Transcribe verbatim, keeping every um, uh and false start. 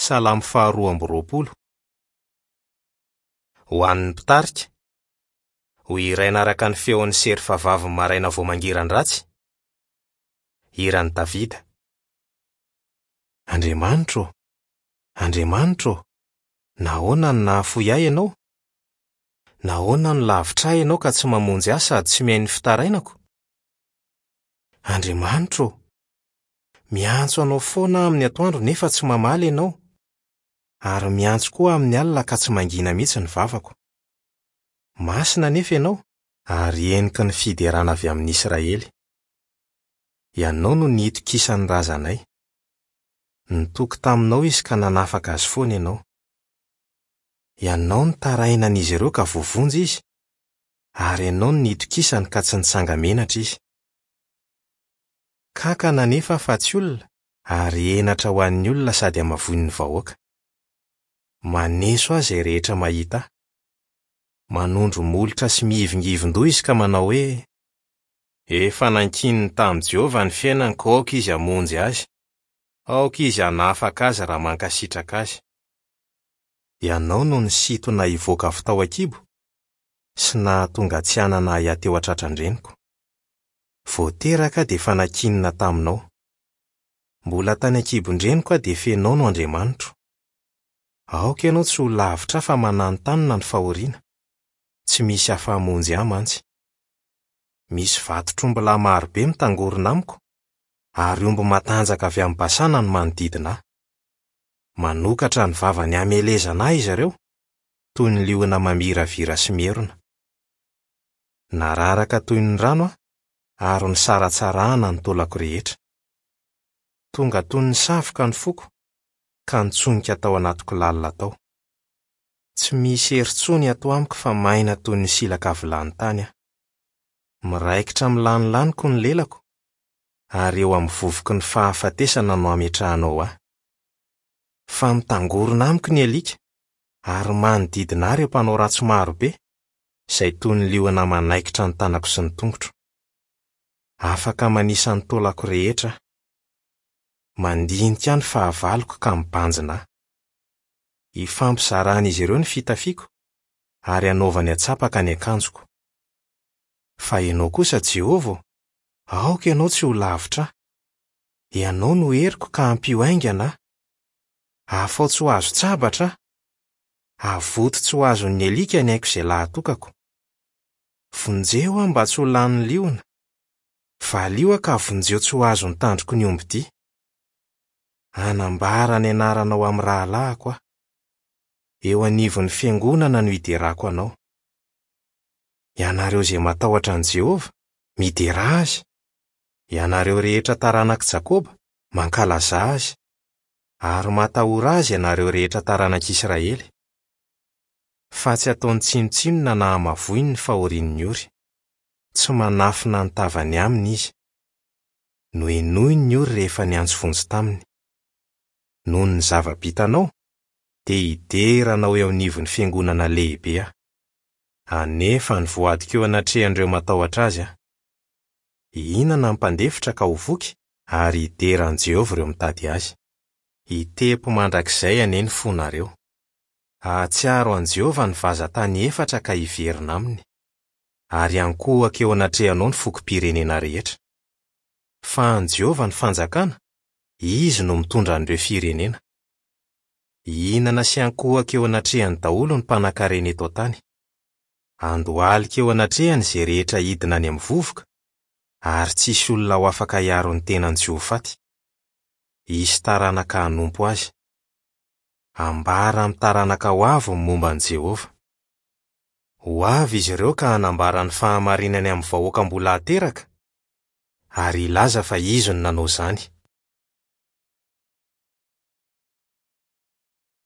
Salamo faharoa amby roapolo. Ho an'ny mpitarika, ho hiraina araka ny feon'ny serfa vavy maraina vao mangiran-dratsy. Hiran'i Davida. Andriamanitro ô, Andriamanitro ô, nahoana no nahafoy ahy Ianao? Nahoana no lavitra ahy Ianao ka tsy mamonjy ahy sady tsy mihaino ny fitarainako? Andriamanitro ô, miantso Anao foana aho amin'ny atoandro nefa tsy mamaly Ianao, ary miantso koa amin'ny alina ka tsy mangina mihitsy ny vavako. Masina anefa Ianao, ary heniky ny fiderana avy amin'ny Israely. Ianao no nitokisan'ny razanay. Nitoky taminao izy ka nanafaka azy foana Ianao. Ianao no tarainan'izy ireo ka voavonjy izy, ary Ianao no nitokisany ka tsy nitsanga-menatra izy. Kankana anefa fa tsy olona, ary henatra ho an'ny olona sady hamavoin'ny vahoaka. Maneso ahy izay rehetra mahita ahy. Manondro molotra sy mihivingivin-doha izy ka manao hoe: Efa nankininy tamin'i Jehovah ny fiainany ka aoka izy hamonjy azy. Aoka izy hanafaka azy raha mankasitraka azy. Ianao no nisintona hivoaka avy tao an-kibo sy nahatonga tsy hanana ahy teo an-tratran-dreniko. Vao teraka aho dia efa nankinina taminao. Mbola tany an-kibon-dreniko aho dia fenao no Andriamanitro. Aoka ianao tsy ho lavitra ahy fa mananontanona ny fahoriana. Tsy misy afa-hamonjy ahy mantsy. Misy vatotr'ombilahy marobe mitangorona amiko, ary omby matanjaka avy amin'ny Basana no manodidina ahy. Manokatra ny vavany hamelezana ahy izy ireo, toy ny liona mamiravira sy mierona. Nararaka toy ny rano aho, ary nisaratsarahana ny taolako rehetra. Tonga toy ny savoka ny foko, ka nitsonika tao anatiko lalina tao. Tsy misy hery intsony ato amiko fa maina toy ny silaka vilany tany aho. Miraikitra amin'ny lanilaniko ny lelako, ary eo amin'ny vovoky ny fahafatesana no ametrahanao ahy. Fa mitangorona amiko ny alika, ary manodidina ahy ireo mpanao ratsy marobe, izay toy ny liona manaikitra ny tanako sy ny tongotro. Afaka manisa ny taolako rehetra aho. Mandinika ahy ny fahavaloko ka mibanjina ahy. Ifampizaran'izy ireo ny fitafiako, ary anaovany antsapaka ny akanjoko. Fa ianao kosa Jehovah ô, aoka ianao tsy ho lavitra ahy. Ianao no heriko ka ampio haingana ahy. Afaho tsy ho azon-tsabatra aho. Avoto tsy ho azon'ny alika ny aiko izay lahatokako. Vonjeo aho mba tsy ho lanin'ny liona. Valio aho ka vonjeo tsy ho azon'ny tandroky ny ombidia. Hanambara ny anaranao amin'ny rahalahiko aho. Eo anivon'ny fiangonana no hiderako anao. Ianareo izay matahotra an'i Jehovah, midera azy. Ianareo rehetra taranak'i Jakoba, mankalaza azy. Ary matahora azy ianareo rehetra taranak'Israely. Fa tsy ataony tsinontsinona na hamavoiny ny fahorian'ny ory. Tsy manafina ny tavany aminy izy. Nohenoiny ny ory rehefa niantso vonjy taminy. Noho ny zava-bitanao, dia hidera anao eo anivon'ny fiangonana lehibe aho. Anefa ny voadiko eo anatrehan'ireo matahotra azy aho. Hihinana ny mpandefitra ka ho voky, ary hidera an'i Jehovah ireo mitady azy. Hitepo mandrakizay anie ny fonareo. Hahatsiaro an'i Jehovah ny vazan-tany efatra ka hiverina aminy, ary hankohaka eo anatrehanao ny fokom-pirenena rehetra. Fa an'i Jehovah ny fanjakana, izy no mitondra an'ireo firenena. Hihinana sy hankohaka eo anatrehany daholo ny mpanankarena eto an-tany. Handohalika eo anatrehany izay rehetra hidina any amin'ny vovoka, ary tsisy olona ho afaka hiaro ny tenany tsy ho faty. Hisy taranaka hanompo azy. Ambara amin'ny taranaka ho avy ny momba an'i Jehovah. Ho avy izy ireo ka hanambara ny fahamarinany amin'ny vahoaka mbola hateraka, ary hilaza fa izy no nanao izany.